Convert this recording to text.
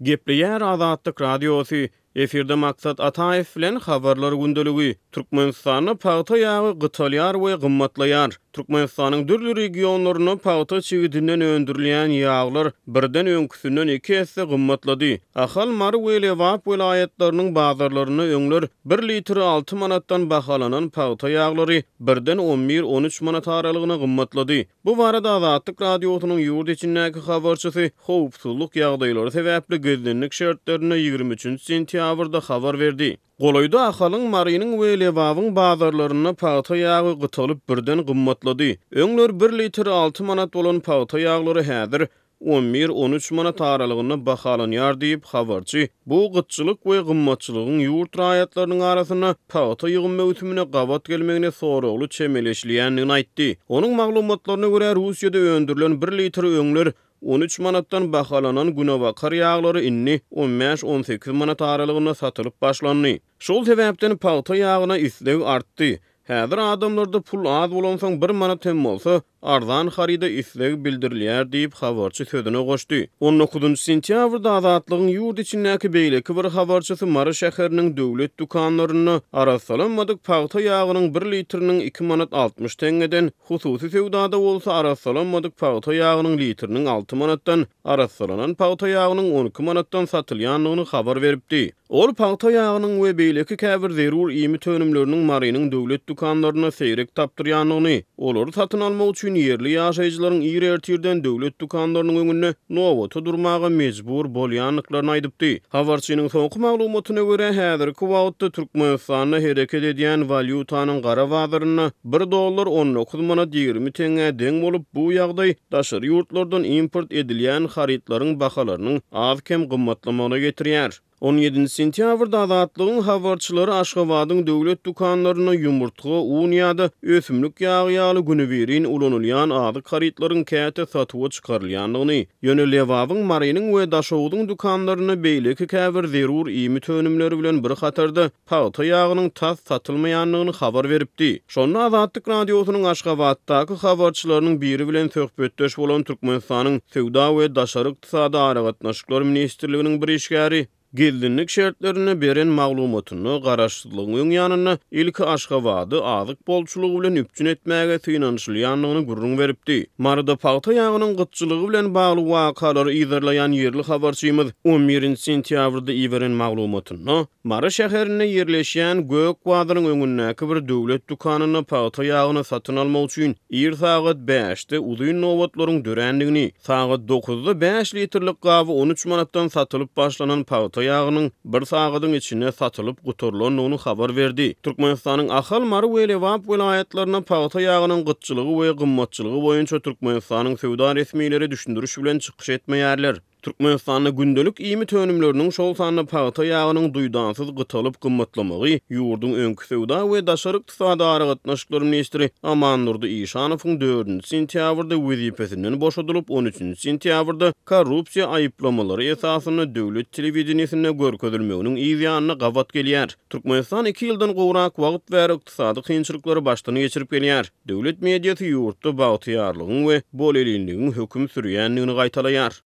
Gepleýär Azatlyk Radiosy, Efirde Maksat Ataýew bilen Habarlar gündeligi. Türkmenistanda pagta ýagy gytalýar we gymmatlaýar. Türkmenistanyň dürli regionlarynda pagta çigidinden öndürilýän ýaglar birden öňküsinden iki esse gymmatlady. Ahal, Mary we Lebap welaýatlarynyň bazarlarynda öňler bir litri alty manatdan bahalanan pagta ýaglary birden on bir, on üç manat aralygyna gymmatlady. Bu barada Azatlyk Radiosynyň ýurt içindäki habarçysy howpsuzlyk ýagdaýlary sebäpli gizlinlik şertlerinde 23 sentýabrda habar berdi. Golaýda Ahalyň, Marynyň we Lebabyň bazarlarynda pagta ýagy gytalyp birden gymmatlady. Öňler bir litr alty manat bolan pagta ýaglary häzir on bir, on üç manat aralygynda bahalanýar diýip, habarçy bu gytçylyk we gymmatçylygyň ýurt raýatlarynyň arasynda pagta ýygym möwsümine gabat gelmegine soragly çemeleşilýändigini aýtdy. Onuň maglumatlaryna görä, Russiýada öndürilen bir litr öňler 13 manatdan bahalanan günebakar ýaglary indi on bäş-on sekiz manat aralygynda satylyp başlandy. Şol sebäpden pagta ýagyna isleg artdy. Häzir adamlarda pul az bolansoň bir manat hem bolsa, arzan haryda isleg bildirilýär diýip, habarçy sözüne goşdy. On dokuzynjy sentýabrda Azatlygyň ýurt içindäki beýleki bir habarçysy Mary şäheriniň döwlet dükanlarynda arassalanmadyk pagta ýagynyň bir litriniň iki manat 60 teňňeden, hususy söwdada bolsa arassalanmadyk pagta ýagynyň litriniň alty manatdan, arassalanan pagta ýagynyň 12 manatdan satylýandygyny habar beripdi. Ol pagta ýagynyň we beýleki käbir zerur iýmit önümleriniň Marynyň döwlet dükanlarynda seýrek tapdyrýandygyny, olary satyn almak üçin ýerli ýaşaýjylaryň ir ertirden döwlet dükanlarynyň öňünde nobata durmaga mejbur bolýandyklaryny aýdypdy. Habarçynyň soňky maglumatyna görä, häzirki wagtda Türkmenistanda hereket edýän walýutanyň gara bazarynda bir dollar 19 manat 20 teňňä deň bolup, bu ýagdaý daşary ýurtlardan import edilýän harytlaryň bahalarynyň az-kem gymmatlamagyna getirýär. On ýedinji sentýabrda Azatlygyň habarçylary Aşgabadyň döwlet dükanlarynda ýumurtga, un ýa-da ösümlik ýagy ýaly günübirin ulanylýan azyk harytlaryň käte satuwa çykarylýandygyny, ýöne Lebabyň, Marynyň we Daşogzuň dükanlarynda beýleki käbir zerur iýmit önümleri bilen bir hatarda pagta ýagynyň tas satylmaýandygyny habar beripdi. Şonda Azatlyk Radiosynyň Aşgabatdaky habarçylarynyň biri bilen söhbetdeş bolan Türkmenistanyň Söwda we daşary ykdysady aragatnaşyklar ministrliginiň bir işgäri gizlinlik şertlerinde beren maglumatynda garaşsyzlygyň öň ýanynda ilki Aşgabady azyk bolçulygy bilen üpjün etmäge synanyşylýandygyny gürrüň beripdi. Maryda pagta ýagynyň gytçylygy bilen bagly wakalary yzarlaýan ýerli habarçymyz on birinji sentýabrda iberen maglumatynda, Mary şäherinde ýerleşýän Gök bazaryň öňündäki bir döwlet dükanynda pagta ýagyny satyn almak üçin ir sagat bäşde uzyn nobatlaryň dörändigini, sagat dokuzda bäş litrlik gaby on üç manatdan satylyp başlanan pagta ýagynyň bir sagadyň içinde satylyp gutarylandygyny habar berdi. Türkmenistanyň Ahal, Mary we Lebap welaýatlarynda pagta ýagynyň gytçylygy we gymmatçylygy boýunça Türkmenistanyň söwda resmileri düşündiriş bilen çykyş etmeýärler. Türkmenistanda gündelik iýmit önümleriniň, şol sanda pagta ýagynyň duýdansyz gytalyp gymmatlamagy ýurduň öňki söwda we daşary ykdysady aragatnaşyklar ministri Amandurdy Işanowyň dördünji sentýabrda wezipesinden boşadylyp, on üçünji sentýabrda korrupsiýa aýyplamalary esasynda döwlet telewideniýesinde görkezilmeginiň yz ýanyna gabat gelýär. Türkmenistan iki ýyldan gowrak wagt bäri ykdysady kynçylyklary başdan geçirip gelýär. Döwlet mediasy ýurtda bagtyýarlygyň we bolelinligiň höküm sürýändigini gaýtalaýar.